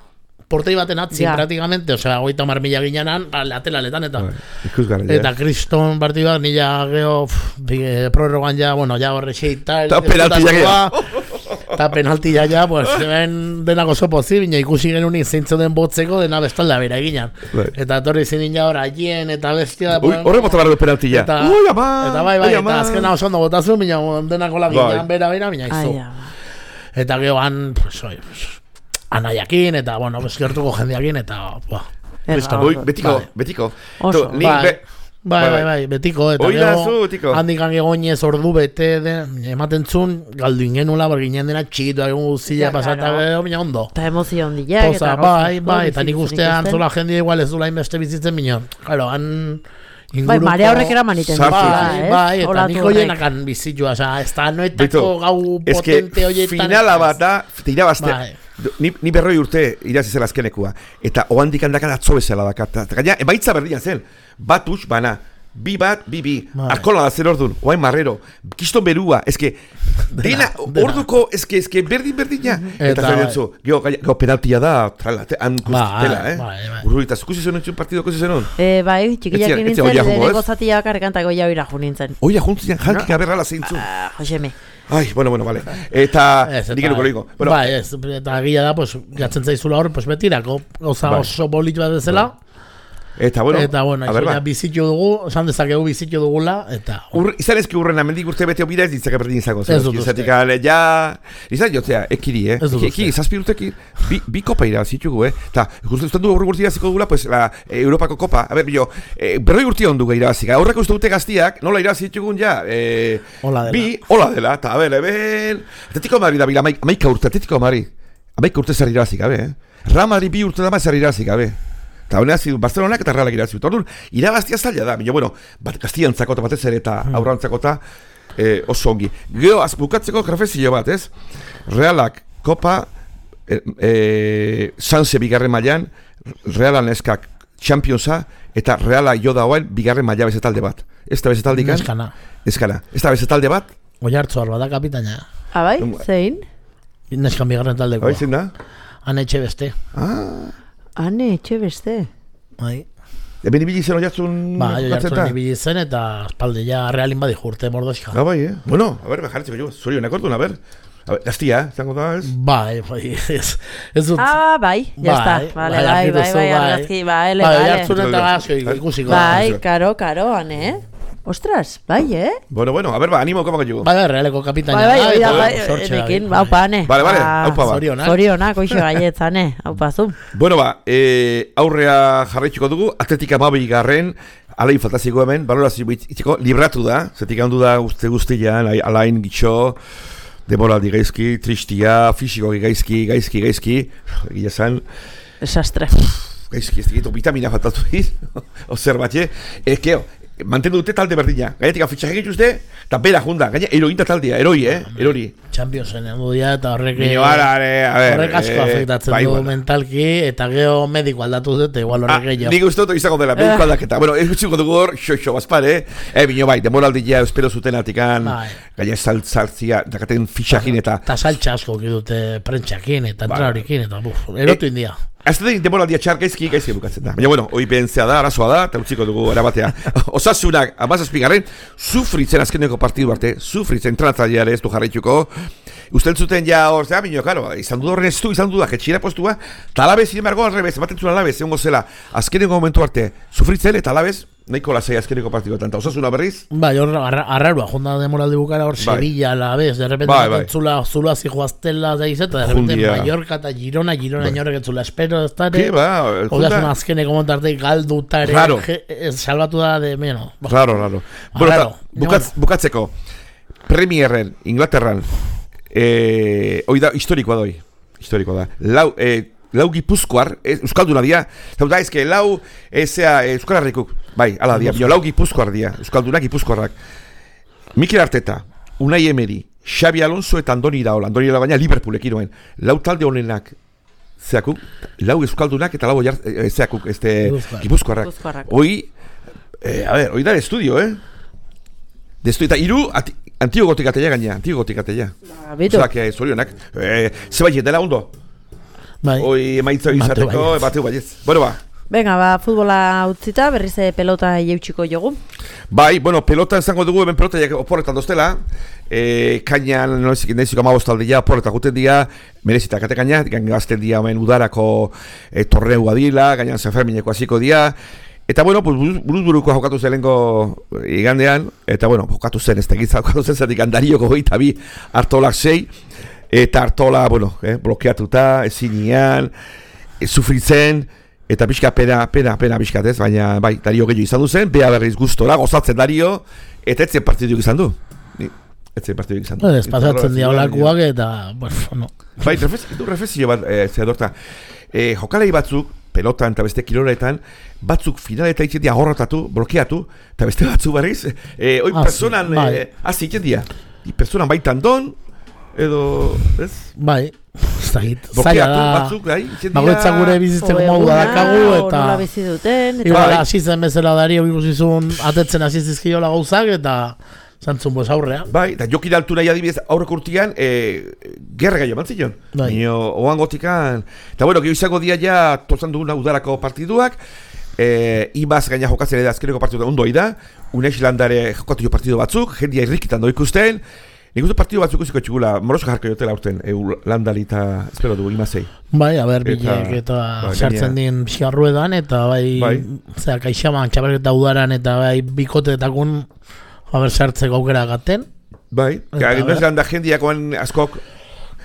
portei baten atzin, ja. Praktikamente, osea, goita mar mila ginenan, latela-letan, eta bai, eta kriston partidua, nila geho, prorrogan ja, bueno, ja horre xeita, eta penaltia geho, eta penaltia ja, pues, ben denako oso pozi, bina ikusi genunik zeintzo den botzeko, dena bestalda bera eginan. Right. Eta torri zinin ja hor aien, eta bestia... Horre bota barru penaltia. Eta, ui, ama, eta bai, bai, eta azkena oso ondo botazu, bina denako laginan bera bera, bina izu. Eta gehoan, pues, oi, anaiakin, eta, bueno, eskertuko jendeakin, eta, buah. Ui, betiko, betiko. Oso, bai. Bai, bai, bai, betiko, eta gero, handikan egoinez ordu bete, ematen zun, galdu ingenula, bar ginen dena txikitu egun guztia pasata, bina ondo. Eta emozio hondiak, eta bai, bai, eta nik ustean zola jendea igual ez dula inbeste bizitzen minon. Claro, han inguruko... Bai, marea horrek era maniten. Bai, bai, eta nik hoienakan bizitua, oza, ez da noetako gau potente hoietan. Finala bat da, tira bazte. Ni, ni berroi urte irazi zela azkenekua. Eta oandik handakan atzo bezala dakat. Gaina, emaitza berdina zen. Bat utx, bana. Bi bat, bi bi. Arkola da zer ordun. Oain marrero. Kiston berua. Ezke, dena, orduko, ezke, ezke, berdin, berdina. Eta zer dutzu. Gio, gio, penaltia da, trala, han kustela, eh? Urruita, zukusi zenun txun partido, kusi zenun? Bai, txikiak nintzen, leheneko zatia bakarrekantako jau ira junintzen. Oia juntzen, jankik aberrala zeintzu. Joseme. Ai, bueno, bueno, vale. Eta, nik eruko loiko. Bai, ez, eta gila da, pues, gatzen zaizula hor, pues, betirako, goza oso bolit bat bezala. Eta bueno, eta bueno, ja bizitu dugu, esan dezakegu bizitu dugula, eta... Ur, izan ezki urren amendik urte bete obira ez ditzaka berdin izango. Ez dut uste. Ja, izan jotzea, ekiri, eh? Ez dut uste. Eki, zazpi urteki, bi, bi kopa irabazitugu, eh? Eta, uste du urte urte iraziko dugula, pues, la eh, Europako kopa. A ber, bio, eh, berroi urte ondu gai irabazika. Aurreko uste dute gaztiak, nola irabazitugun ja, eh, hola dela. Bi, hola dela, eta, a ber, eben... Atetiko Madrid da, bila, amaika urte, Atetiko Madrid. Amaika urte zer irabazik, abe, eh? Ramari bi urte dama zer irabazik, abe. Eta honea zidu, Barcelonak eta Realak irabazi dut. Orduan, irabaztia zaila da, baina, bueno, bat Kastiantzako eta batez ere eta aurrantzako eta eh, oso ongi. Gero, az, bukatzeko grafezio bat, ez? Realak, Kopa, e, e, Sanse bigarren mailan, Realan eskak Championsa, eta Reala jo dagoen bigarren maila bezetalde bat. Ez da bezetaldikan? Eskana. Eskana. Ez da bezetalde bat? Oiartzu arba da kapitaina. Abai, zein? Neskan bigarren taldekoa. Bai, zein da? Ane etxe beste. Ah. Ane etxe beste. Bai. Eben ibili zen oiartzun... Ba, oiartzun ibili zen eta espalde ja Realin badi jurte mordoska. Ah, bai, eh? Bueno, a ver, bejarretzeko jo, zorionak orduan, a ver. A ver, gaztia, zango da, ez? Bai, bai, ez... ez dut... Ah, bai, ya está. Vale, bai, bai, bai, argazki, bai, bai, oiartzun eta gazio ikusiko. Bai, karo, karo, ane, eh? Ostras, bai, eh? Bueno, bueno, a ver, ba, animo, koma que Bai, bai, Realeko kapitaina. Bai, bai, bai, bai, erekin, haupa, ane. Vale, vale, haupa, ba. Zorionak. Zorionak, oixo gaietz, ane, haupa, zu. Bueno, ba, eh, aurrea jarraitxuko dugu, Atletika Mabi garren, alain faltaziko hemen, balorazio itziko, libratu da, zetik handu da guzti guztian, alain gitxo, demoraldi gaizki, tristia, fisikoki gaizki, gaizki, gaizki, egia zan. Desastre. Gaizki, ez digitu, vitamina faltatu diz, ozer batxe, ekeo, mantendu dute talde berdina, gainetik afitxak egituzte, eta bera junda, gaine, erointa taldea, eroi, eh, erori. Championsen handu dira, eta horrek... Horrek asko afektatzen du mentalki, eta geho mediko aldatu dute, igual horrek gehiago. Nik uste dut izango dela, mediko aldaketa. Bueno, ez gutxiko dugu hor, xo-xo, bazpare, eh, bino bai, demoraldia espero zuten atikan, gaine saltzartzia, dakaten fitxakin eta... Eta saltxa asko dute prentxakin, eta entrenorikin, eta buf, erotu india. Ez da demoraldia txar gaizki, gaizki bukatzen da. Baina, bueno, hoi behentzea da, arazoa da, eta utziko dugu erabatea. Osasunak, amazazpigarren, sufritzen azkeneko partidu arte, sufritzen entrenatzaileare ez du jarraituko. Ustel zuten ja hor, zera, bineo, karo, izan du horren ez du, izan du da, jetxira postua, eta alabez, sin embargo, alrebez, ematen zuen alabez, egon gozela, azkeneko momentu arte, sufritzen, eta alabez, nahiko lasai azkeneko partiduetan, eta osasuna berriz? Bai, hor, arrarua, jonda demoraldi bukara hor, Sevilla, alabez, de repente, bai, bai. zula, zula zijoaztela, da izeta, de repente, Jundia. Mallorca eta Girona, Girona bai. Inorrek etzula, espero, ez dara, Ke, ba, hogazun azkeneko momentarte, galdutare, Raro. salbatu da, de, meno. Raro, raro. Bueno, ta, bukatz, bukatzeko, Premierren, Inglaterran, eh, hoi da, historikoa doi, historikoa da, lau, eh, lau gipuzkoar, eh, euskalduna dia, zau da, ezke, lau, ezea, eh, euskal harrikuk, bai, ala dia, bio, lau gipuzkoar dia, euskaldunak gipuzkoarrak. Mikel Arteta, Unai Emery, Xabi Alonso eta Andoni Iraola, Andoni Iraola baina Liverpoolek iroen, lau talde honenak, zeakuk, lau euskaldunak eta lau oiar, eh, zeakuk, este, gipuzkoarrak. Hoi, eh, a ver, hoi da de estudio, eh? De estudio, eta iru, ati, antio gotikatela gaina, antio gotikatela. Bitu. Osak, eh, zorionak, eh, zebai dela ondo. Bai. Hoi emaitza izateko, bateu baietz. Bueno, ba. Venga, ba, futbola utzita, berriz pelota jeutxiko jogu. Bai, bueno, pelota izango dugu, hemen pelota oporretan doztela. E, kainan, nahiziko amabostaldia, oporretan guten dia, merezita kate kaina, gazten dia hemen udarako e, torneua dila, gainan Sanfermineko hasiko dia. Eta, bueno, buruz buruko jokatu zen lehenko igandean, eta, bueno, jokatu zen, ez tegitza jokatu zen, zatik andarioko goita bi hartolak sei, eta hartola, bueno, eh, blokeatuta, ezinian, e, sufritzen, eta pixka pena, pena, pena pixkatez, baina, bai, Dario gehiago izan du zen, beha berriz gustora, gozatzen Dario, eta etzen partiduk izan du. Etzen partiduk izan du. Ez pasatzen diabolakuak eta, bueno, no. Bai, du reflexio bat, e, zehadorta, e, jokalei batzuk, pelotan eta beste kiloletan, batzuk finaleta itzen dia horretatu, blokeatu, eta beste batzuk barriz, e, oi ah, personan, bai. e, hazi itzen dia, personan baitan don, edo, ez? Bai, ez da hit, zaila da, batzuk, bai, itzen dia, bagoetzak gure bizitzeko modu badakagu, eta nola bizi duten, eta igual, asitzen bezala Dario ikusizun, atetzen asizizkiola gauzak, eta zantzun boz aurrea. Bai, eta jokin altu nahi adibidez aurreko urtean, e, gerra gaio mantzion. Bai. Nio, oan gotikan. Eta bueno, geho izango dia ja, tozan duguna udarako partiduak, e, imaz gaina jokatzen edo azkeneko partidu ondoi da, una islandare jokatu jo partidu batzuk, jendia irrikitan doi ikusten, nik uste partidu batzuk iziko txigula, morosko jarko jotela urten, e, landari eta espero dugu imazei. Bai, a ber, bilek eta sartzen din pixarruedan, eta bai, bai. Zera, kaixaman, txabarketa udaran, eta bai, bikoteetakun, haber sartzeko aukera gaten. Bai, Una Zelanda jendiakoan askok,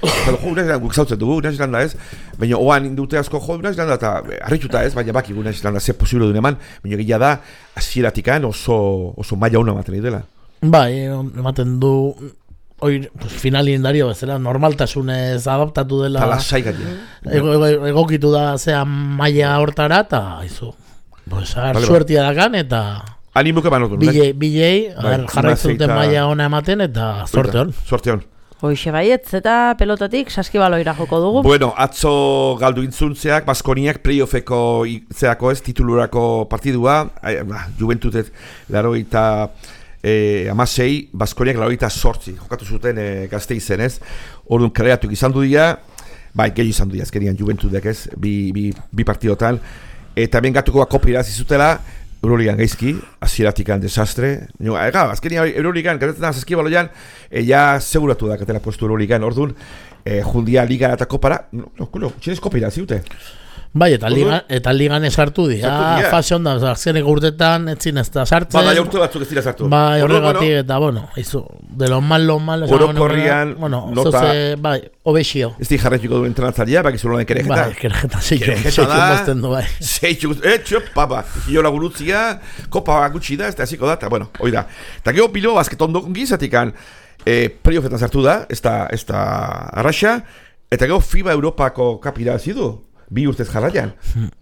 pero jo, Una Zelanda guk zautzen dugu, Una Zelanda ez, baina oan indute asko jo, Una Zelanda eta harritxuta ez, baina baki Una Zelanda ze posible duen eman, baina gila da, azieratikan oso, oso maila hona ematen dela. Bai, ematen du, Oir, pues, finalindario bezala, normaltasunez adaptatu dela. Eta lasai gatia. Ego, ego, egokitu da zea maila hortara, eta izu. Pues, agar, vale, suertia dakan, eta... Animuke manotun. Bilei, bilei, jarraitzen duten maila ona ematen, eta zorte hon. Zorte hon. Hoixe baietz eta pelotatik saskibaloira joko dugu. Bueno, atzo galdu intzuntzeak, Baskoniak playoffeko zeako ez, titulurako partidua, Juventudet laro eta e, amasei, Baskoniak laro eta sortzi, jokatu zuten e, gazte izen ez, orduan kreatuk izan du dira, bai, gehi izan du dira, azkenian Juventudek ez, bi, bi, bi partidotan, eta ben gatuko kopira zizutela, Euroligan gaizki, azieratikan desastre. No, ega, azkenia Euroligan, gatetzen da, zazkibaloian, e, ja seguratu da, katela postu Euroligan, orduan, e, jundia ligan eta kopara, no, no, no, txinez kopira, ziute. Bai, eta ligan, eta ligan esartu di, ah, fase onda, azkeneko urtetan, etzin ez da sartzen. Ba, bai, urte batzuk ez dira sartu. Bai, horregatik, bueno, eta, bueno, izu, de lo mal, lo mal, orokorrian, bueno, nota, zoze, bai, obexio. Ez di jarretxiko duen entrenatzalia, baki zuloan kerejeta. Bai, kerejeta, zeitxu, zeitxu mozten du, bai. Zeitxu, eh, txop, papa, jola gurutzia, kopa gutxi da, ez da hasiko da, eta, bueno, hoi da. Eta gero pilo, basketon dokungi, zatikan, eh, playoffetan sartu da, ez da, ez da arraxa, eta gero FIBA Europako kapira zidu. Bi urtez jarraian.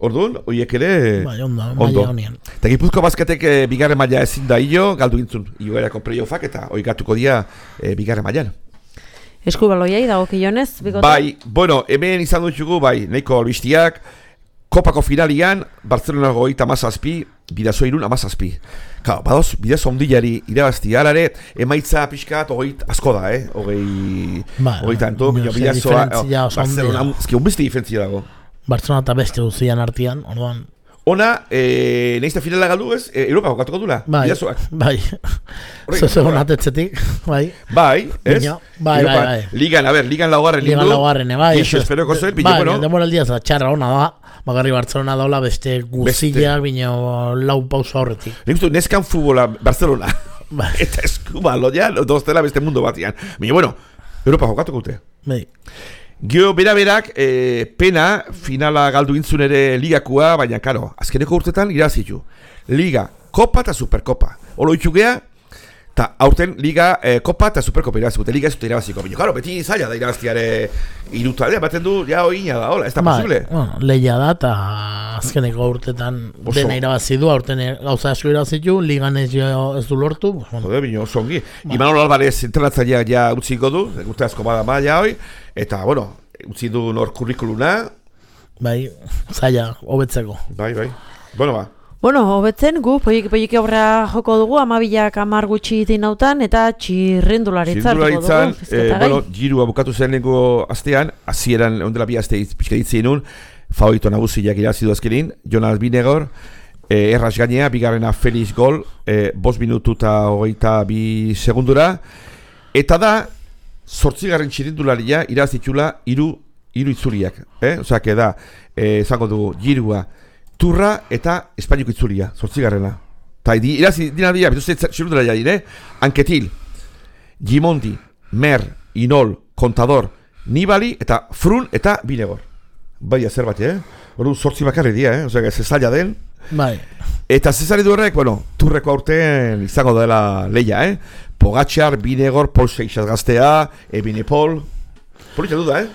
Orduan, horiek ere... Bai, ondo, maila honien. Eta Gipuzko basketek e, bigarren maila ezin da hilo, galdu gintzun, hilo erako playoffak eta hori gatuko dia e, bigarren mailan. Eskubaloiai dago kionez, bikote? Bai, bueno, hemen izan dutxugu, bai, nahiko albistiak, kopako finalian, Barcelona goita amazazpi, Bidazo irun amazazpi. Claro, badoz, Bidazo ondilari irabazti alare, emaitza pixkat, ogeit asko da, eh? Ogei... Ba, ogei tanto, Bidazoa... Barcelona, ezki, un beste diferentzia dago. Barcelona eta beste duzian artian, orduan. Ona, eh, nahizta finala galdu ez, eh, Europa jokatuko dula, bai, Bidazoak. Bai, zozegon atetzetik, bai. Bai, ez? Bino, bai, bai, bai. Ligan, a ber, ligan laugarren lindu. Ligan laugarren, bai. Ixo, esperoko zoen, bine, bai, bueno. Bai, demoraldia za, txarra hona da, bagarri Barcelona daula beste guzilla, bino lau pausa horretik. Nik uste, neskan futbola Barcelona. Bai. Eta eskubalo, ja, doztela beste mundu batian. Bine, bueno, Europa jokatuko dute. Bai. Gio, bera-berak, e, pena, finala galdu intzun ere ligakua, baina, karo, azkeneko urtetan irazitu. Liga, Kopa eta Superkopa. Olo itxugea, eta aurten Liga, e, Kopa eta Superkopa irazikute. Liga ez dute irabaziko. Bino, karo, beti zaila da iraztiare irutaldea, baten du, ja, oina da, hola, ez da ba, posible. Bueno, lehia da, eta azkeneko urtetan oso. Dena irabazi du, aurten gauza asko irabazitu, Ligan ez, ez du lortu. Bueno. Jode, bino, zongi. Ba. Imanol Alvarez entrenatzailea ja utziko du, urte asko bada maila hoi, eta, bueno, utzi du nor kurrikuluna. Bai, zaila, hobetzeko. Bai, bai. Bueno, ba. Bueno, hobetzen gu, poik aurra joko dugu, amabilak amar gutxi dinautan, eta txirrendularitza joko dugu. Eh, bueno, girua bukatu zen lehenko astean, hasieran ondela bi aste pixka ditzen nun, favorito nagusiak irazidu azkenin, Jonas Binegor, eh, erraz gainea, bigarrena Felix gol, eh, bost minutu eta hogeita bi segundura, eta da, zortzigarren txirrendularia irazitxula iru, iru itzuliak. Eh? Osea, que da, eh, zango dugu, girua, Turra eta Espainiako itzulia, zortzigarrena. Eta irazi dina dira, bituzte txirundela dire, Anketil, Gimondi, Mer, Inol, Kontador, Nibali eta Frun eta Binegor. Bai, zer bat, eh? Hori zortzi bakarri dira, eh? Osea, ez zaila den. Bai. Eta zezari du horrek, bueno, Turreko aurten izango dela leia, eh? Pogatxar, Binegor, Pol Seixas gaztea, Ebinepol. Polita duda, eh?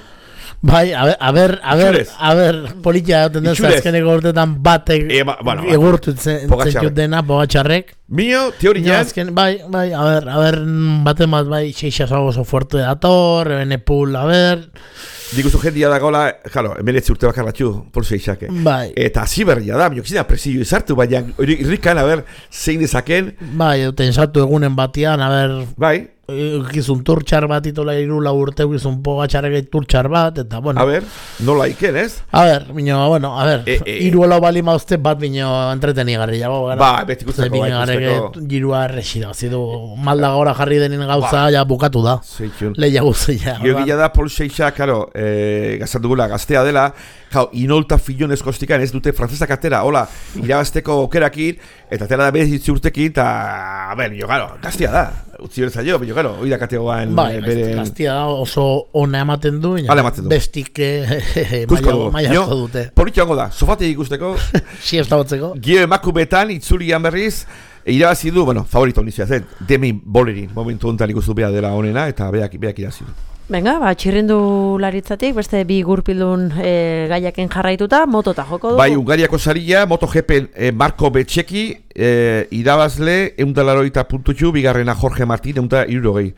Bai, a ber, a ber, a ber, a ber, politia tendez azkeneko urtetan batek e, ba, bueno, egurtu zentut dena, Pogatxarrek. Mio, teorian. Bai, bai, a ber, a ber, baten bat bai, Seixas oso fuerte dator, Benepul, a ber. Dikustu jendia da gola, jalo, emeletzi urte bakar batxu, Pol Seixake. Bai. Eta hasi berria da, minok zina presio izartu, baina irrikan, a ber, zein dezaken. Bai, duten saltu egunen batian, a ber. Bai. Gizun turtxar bat itola irula urte, gizun Pogatxarrek turtxar bat, eta bueno. A ber, nola iken, ez? A ber, bino, bueno, a ber, e, e, iruela bali mauzte bat bino entretenigarri jago, gara. Ba, beti guztako, bai, guztako. Girua errexida, zidu, malda gora jarri denin gauza, ba, ja bukatu da. Zeitzun. Leia guztia. Gio gila da, Pol Seixa, karo, e, gazan dugula gaztea dela, jau, inolta filonez kostikan ez dute frantzezak atera, hola, irabazteko okerakin, eta atera da bezitzi urtekin, eta, a ber, bino, garo, gaztea da. Utzi berza jo, bino, garo, oida kategoan bai, bere... gaztia da, oso ona ematen du, ematen du. Bestik maiako dute. Politxo hango da, sofate ikusteko, si ez da batzeko. Gio emakumetan, itzulian berriz, irabazi du, bueno, favorito honizia zen, Demi Bollerin, momentu honetan ikustu behar dela honena, eta beak, beak irabazi du. Venga, ba, txirrindu laritzatik, beste bi gurpildun e, gaiaken jarraituta, motota joko dugu. Bai, Ungariako saria, MotoGPen e, Marko Betxeki, e, irabazle, eundalaroita puntutxu, bigarrena Jorge Martin, eunda irurogei.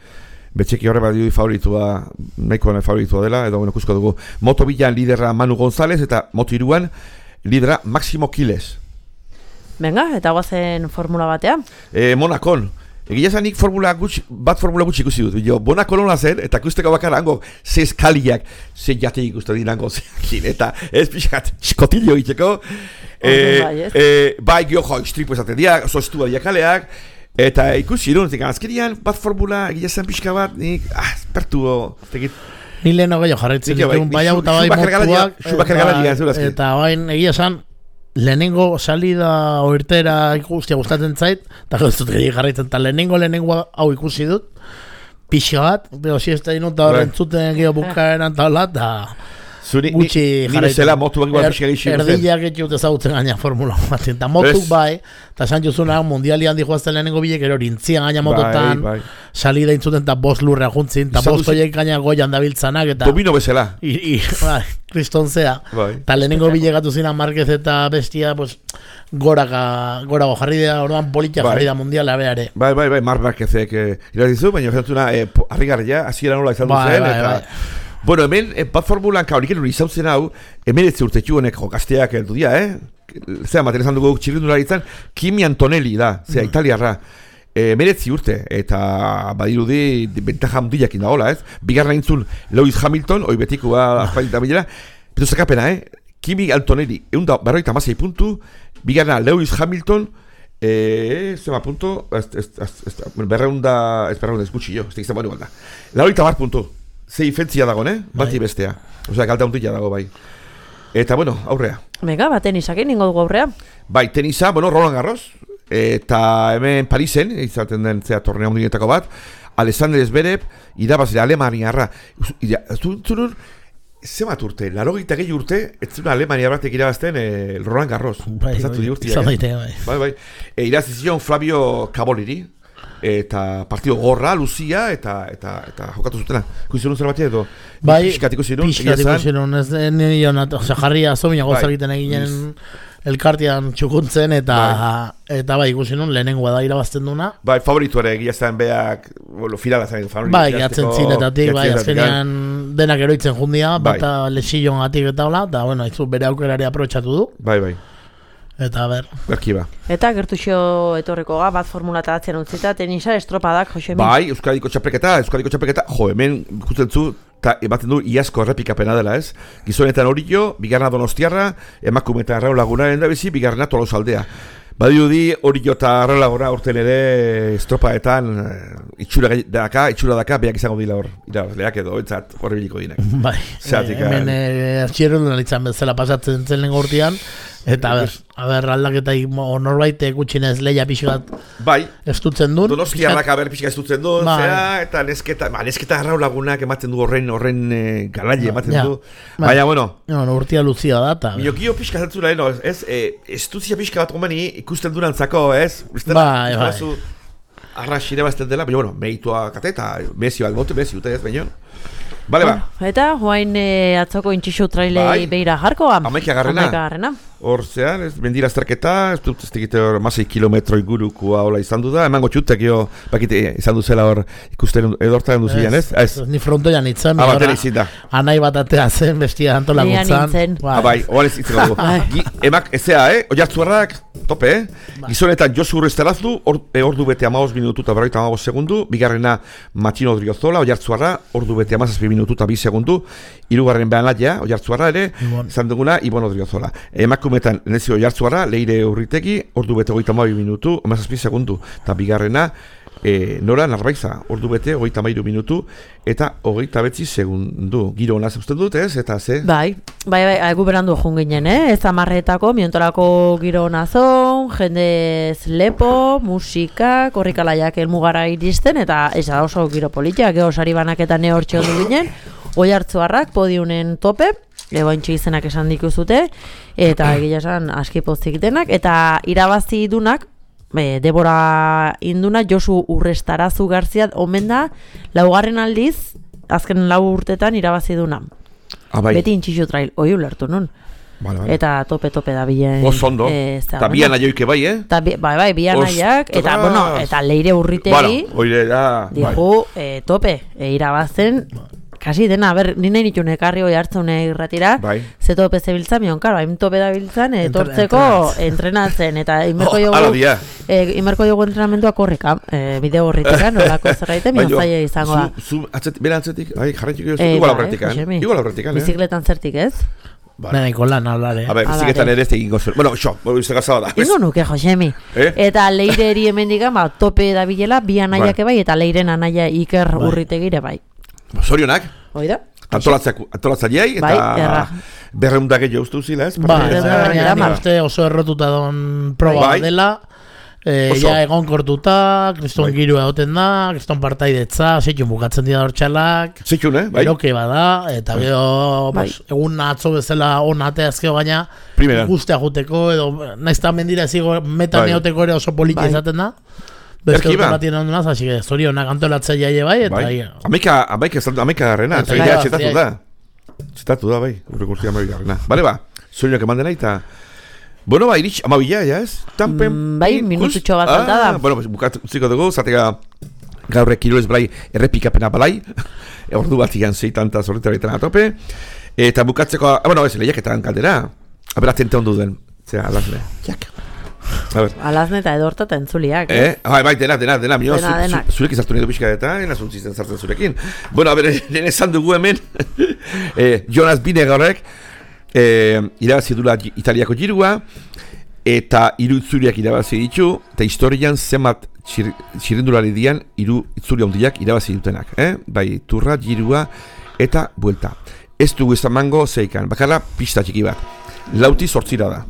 Betxeki horre badidu favoritua, nahiko favoritua dela, edo bueno, ikusko dugu. Moto bilan liderra Manu González, eta moto iruan lidera Máximo Quiles. Venga, eta guazen formula batean. E, Monakon. Egia zanik formula gutxi, bat formula gutxi ikusi dut. Jo, Monako nola zen, eta ikusteko bakarra hango ze eskaliak, ze jate ikustu dinango zeakin, eta ez pixkat skotillo egiteko. E, e, bai, gio jo, istripo esaten dira, oso estua diakaleak, eta ikusi dut, azkerian bat formula egia zen pixka bat, nik, ah, pertu, tegit. Ni lehen hogei jarretzen ditun, bai hau eta bai motuak, eta bain egia zen, lehenengo salida oirtera ikustia gustatzen zait, eta gauzut gari jarraitzen, eta lehenengo lehenengo hau ikusi dut, pixa bat, pero si ez da inut da horren zuten geho bukaeran taula, eta gutxi jarraitzen. Erdileak etxut ezagutzen gaina formula bat, eta motuk bai, eta esan jozuna mundiali handi joazten lehenengo bilek, ero rintzian gaina mototan, salida intzuten eta bost lurra juntzin, eta bost oiek gaina goian dabiltzanak, eta domino bezala. Kristonzea, eta lehenengo bilegatu zina Marquez eta bestia, pues, goraka, gorago jarri da, orduan politia jarri da mundiala beare. Bai, bai, bai, Marc Marquezek irazizu, baina zantzuna harrigarria, hasiera nola izan duzen, eta... Bueno, hemen, bat formulan kaurik erun izautzen hau, hemen ez urtetu honek jokazteak eldu dia, eh? Zera, maten esan dugu txirrindularitzen, Kimi Antonelli da, zera, mm. italiarra. E, meretzi urte, eta badirudi bentaja mundiakin da hola, ez? Bigarra intzun Lewis Hamilton, hoi betikoa azpailita bilera, pero zakapena, eh? Kimi Antonelli, egun da, berroita mazai puntu, bigarra Lewis Hamilton, eh, zema puntu, berreun da, ez berreun ez gutxi jo, ez tegizan bani balda. Laurita bar puntu. Zei fentzia dago, ne? Bati bestea. Osea, galta untuia dago, bai. Eta, bueno, aurrea. Mega, ba, tenisakin, ningo dugu aurrea. Bai, tenisa, bueno, Roland Garros. Eta hemen Parisen, izaten den zea torneo mundietako bat, Alexander Zverev, irabazile Alemaniarra. Zuntzunun, zemat urte, larogeita gehi urte, ez zuna Alemania batek irabazten eh, Roland Garros. Bai, bai, bai. Bai, bai. E, irazizion Flavio Caboliri. Eta partido gorra, luzia, eta eta eta jokatu zutena. Ikusi duen zer batia edo? Bai, pixkat ikusi duen. Pixkat ikusi duen, ez nire jonat, ose, jarria zomina goza egiten eginen elkartian txukuntzen, eta bai. Eta bai, ikusi duen, lehenengoa da irabazten duna. Bai, favoritu ere, egia zen beak, bueno, finala zen favoritu. Bai, gatzen zinetatik, bai, azkenean denak eroitzen jundia, bai. Bata lexillon gatik eta hola, eta bueno, aizu bere aukerari aprotxatu du. Bai, bai. Eta ber. Berkiba. Eta gertuxo etorreko ga, bat formulata atzen utzita, tenisa estropadak, Jose Min. Bai, Euskadiko txapreketa, Euskadiko txapreketa, jo, hemen ikusten zu, eta ematen du iazko errepikapena dela, ez? Gizonetan Orillo, bigarna Donostiarra, emakumetan Raul Lagunaren da bizi, bigarna Tolosaldea. Badirudi Orillo eta Raul Laguna urten ere estropaetan itxura daka, itxura daka, beak izango dila hor, irabazleak edo, entzat, horrebiliko dinak. Bai, hemen artxierun lanitzen bezala pasatzen zen lehen gortian, eta ber, aber aldaketa norbait gutxinez leia pixkat bai, estutzen duen. Donostiarrak aber pixka estutzen duen, bai. Zera, eta nesketa, ba, nesketa Raul Lagunak ematen du horren, horren e, galaile ematen ja. Du. Bai. Baina, bueno. No, no, urtia luzia da, eta. Miokio pixka zentzula, no, ez, e, estuzia pixka bat gomeni ikusten durantzako, ez? Bai, bai. Arras irabazten dela, baina, bueno, meritua kate, eta mezio albote, mezio, ez, baina. Bale, ba. Eta, joain e, atzoko intxixu trailei bai. Beira jarkoa. Amaika garrena. Hor zean, ez, mendira azterketa, ez dut ez tegite hor masei kilometro ingurukua hola izan du da, emango txutek jo, bakite izan duzela hor ikusten edortan duzilean, ez? Ez, ez. Ni frontoian itzen, ah, batera izin da. Anai bat atea zen, bestia antolaguntzan. Ah, bai, oan ez itzen dugu. Emak, ezea, eh? Oiartzuarrak, tope, eh? Gizonetan Josu Urresterazdu, ordu bete amaos minutu eta berroita amaos segundu, bigarrena Matxino Odriozola, Oiartzuarra, ordu bete amazazpi minutu eta bi segundu, hirugarren behan latia, Oiartzuarra ere, izan duguna, Ibon Odriozola. Emakumetan, nezio Oiartzuarra, Leire Urritegi, ordu bete hogeita hamabi minutu, amazazpi segundu, eta bigarrena, e, Nora Narbaiza, ordu bete hogeita hamairu minutu, eta hogeita betzi segundu. Giro hona zeusten dut, ez? Eta ze? Bai, bai, bai, egu berandu jun ginen, eh? Ez amarretako, miontorako giro hona zon, jendez lepo, musika, korrikalaiak elmugara iristen, eta ez da oso giro politia, geho sari banaketan ne hortxe ondu ginen, Oiartzuarrak podiunen tope, ebointxe izenak esan dikuzute, eta egia esan aski pozik denak, eta irabazi dunak, e, Debora Induna, Josu Urrestarazu Garzia, omen da, laugarren aldiz, azken lau urtetan irabazi duna. Ah, bai. Beti intxixu trail, oi ulertu nun. Vale, vale. Eta tope-tope da bilen. Oso eta bian aioike bai, eh? Ta, bai, bai, bian aiak, eta, bueno, eta Leire Urritegi, bueno, oire da, digu, bai. e, tope, e, irabazten, kasi dena, ber, nina initu nekarri hoi hartzen irratira, bai. Ze tope zebiltzan, mion, karo, hain tope da biltzan, etortzeko entrenatzen, eta imerko oh, jogu, e, imerko jogu entrenamentua korrika, e, bideo horriteka, nolako zerraite, mion zaila izango da. Zu, atzet, bera atzetik, bai, jarraitxiko jozu, igual aurretik, igual aurretik, eh? Bizikletan zertik, ez? Vale. Nena, ikolan, hablare. A ver, biziketan ere ez egin gozuen. Bueno, xo, bueno, izan gazaba da. Ingo nuke, Josemi. Eh? Eta Leire eri hemen digan, ba, tope da bilela, bi anaiak bai, eta Leiren anaia Iker bai. Urritegire bai. Zorionak. Oida? Antolatzaileei, eta bai, berreundak egin ustu zila, ez? Ba, eta uste oso errotuta don proba bai. Dela. E, ja egon kortuta, kriston bai. Girua egoten da, kriston partaidetza, zeitun bukatzen dira dortxalak. Zeitun, eh? Bai. Eroke bada, eta bai. Gero, bai. Bos, egun atzo bezala onate azkeo gaina, guztea juteko, edo naizta mendira zigo metan bai. Eoteko ere oso politia bai. Izaten da. Bezke urte batien ondunaz, hasi que zorionak antolatzaia bai, eta bai. Amaika, amaika, amaika garrena, zeidea txetatu da. Txetatu da, bai, urrekurtia amaika garrena. Bale ba, zorionak eman dena eta... Bueno, ba, iritx, amabila, ya ez? Tampen, mm, bai, minututxo bat falta da. Ah, bueno, bukat ziko dugu, zatega gaurrek kirolez balai errepikapena balai. Ordu bat igan zeitanta zorretaretan atope. Eta bukatzeko, ah, bueno, ez, lehiaketan kaldera. A ber, atente ondu den. Zera, alazne. Jak. Alazne eta edorta eta entzuliak. Eh? eh? Bai, bai, dena, dena, dena. Mino, dena, zu, zu, zurek izartu nidu pixka eta, ena zuntzizten zartzen zurekin. Bueno, a ber, nene esan dugu hemen, eh, Jonas Binegaurek, Eh, irabazi dula Italiako girua eta hiru itzuriak irabazi ditu eta historian zenbat txirrindulari dian hiru itzuri handiak irabazi dutenak, eh? Bai, turra, girua eta buelta. Ez dugu ezamango zeikan, bakarra pista txiki bat. Lauti zortzira da.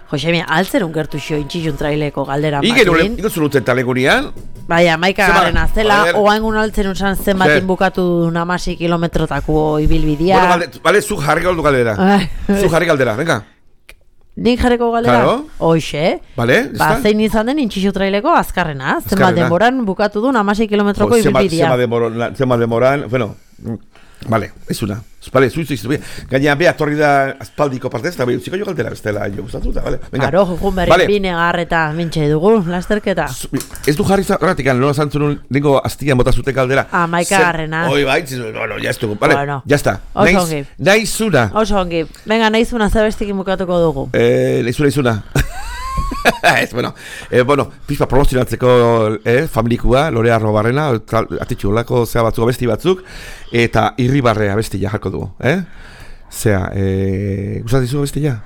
Josemi, altzerun gertu xo intxixun traileko galdera makin. Igen, ino zuruten talegunian. Baina, maika garrena zela, oaingun altzerun zan zenbatin bukatu namasi kilometrotako ibilbidia. Bueno, vale, vale, zu jarri galdu galdera. Zu jarri galdera, venga. Nik jarriko galdera? Claro. Hoxe. Vale, ba, zein izan den intxixu traileko azkarrena. Zenbat denboran bukatu du namasi kilometroko ibilbidia. Zenbat denboran, bueno... Vale, ez una. Vale, zuizu izu. Gaina, beha, torri da aspaldiko partez, eta beha, utziko jo galdera, ez dela jo gustatu da, vale. Karo, jukun berri vale. Bine garreta mintxe dugu, lasterketa. Ez du jarri zarratik, nola zantzun nengo aztian bota zuten galdera. Ah, maika garrena. Oi, bai, bueno, ya estugu, vale, bueno. Ya está. Oso ongi. Naizuna. Oso ongi. Venga, naizuna, zabestikin bukatuko dugu. Eh, naizuna, naizuna. Ez, bueno, eh, bueno, pizpa promozionatzeko eh, familikua, Lorea Arrobarrena, atitxu olako zea batzuk abesti batzuk, eta Irribarre abestia jarko dugu, eh? Zea, eh, gustatizu abestia?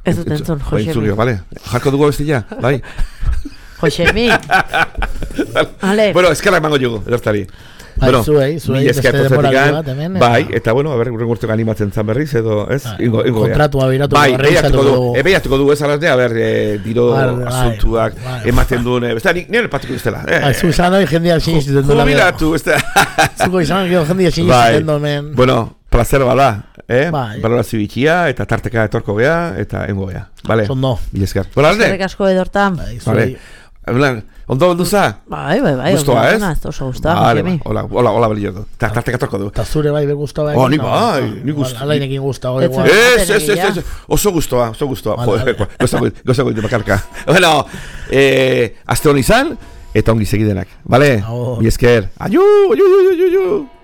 Ez dut entzun, Josemi. Vale, jarko dugu abestia, bai? Josemi. Vale. Bueno, eskerrak mango jugu, edortari. Bai, bueno, zuei, zuei, beste demorali bat, hemen. Bai, eta bueno, a ver, urren urteko animatzen zan berriz, edo, ez? Bai, ingo, ingo, kontratua biratu bai, berriz. Bai, ebeiatuko du, ez alazne, a ver, eh, diro asuntuak, bai, ematen duen, ez da, nire patiko iztela. Eh, bai, zu izan hori jendia sinistiten duen. Jubilatu, ez da. Zuko izan hori jendia sinistiten duen. Bueno, placer bala, eh? Bai. Balorazio bitxia, eta tarteka etorko gea, eta engo gea. Vale? Sondo. Bilezkar. Bueno, alde? Eskerrik asko edorta. Bai, zuei. Vale. Ondo ondu za? Bai, bai, bai. Gustoa, ez? Oso gustoa, Josemi. Hola, hola, hola, belio. Tarteka torko du. Ta zure bai be gustoa bai. Oh, ni bai, ni gustoa. Alainekin gustoa igual. Ez, ez, ez, oso gustoa, oso gustoa. Joder, gozago, gozago de bakarka. Bueno, eh, aste hon izan eta ongi segidenak, vale? Mi esker. Ayu, ayu, ayu, ayu.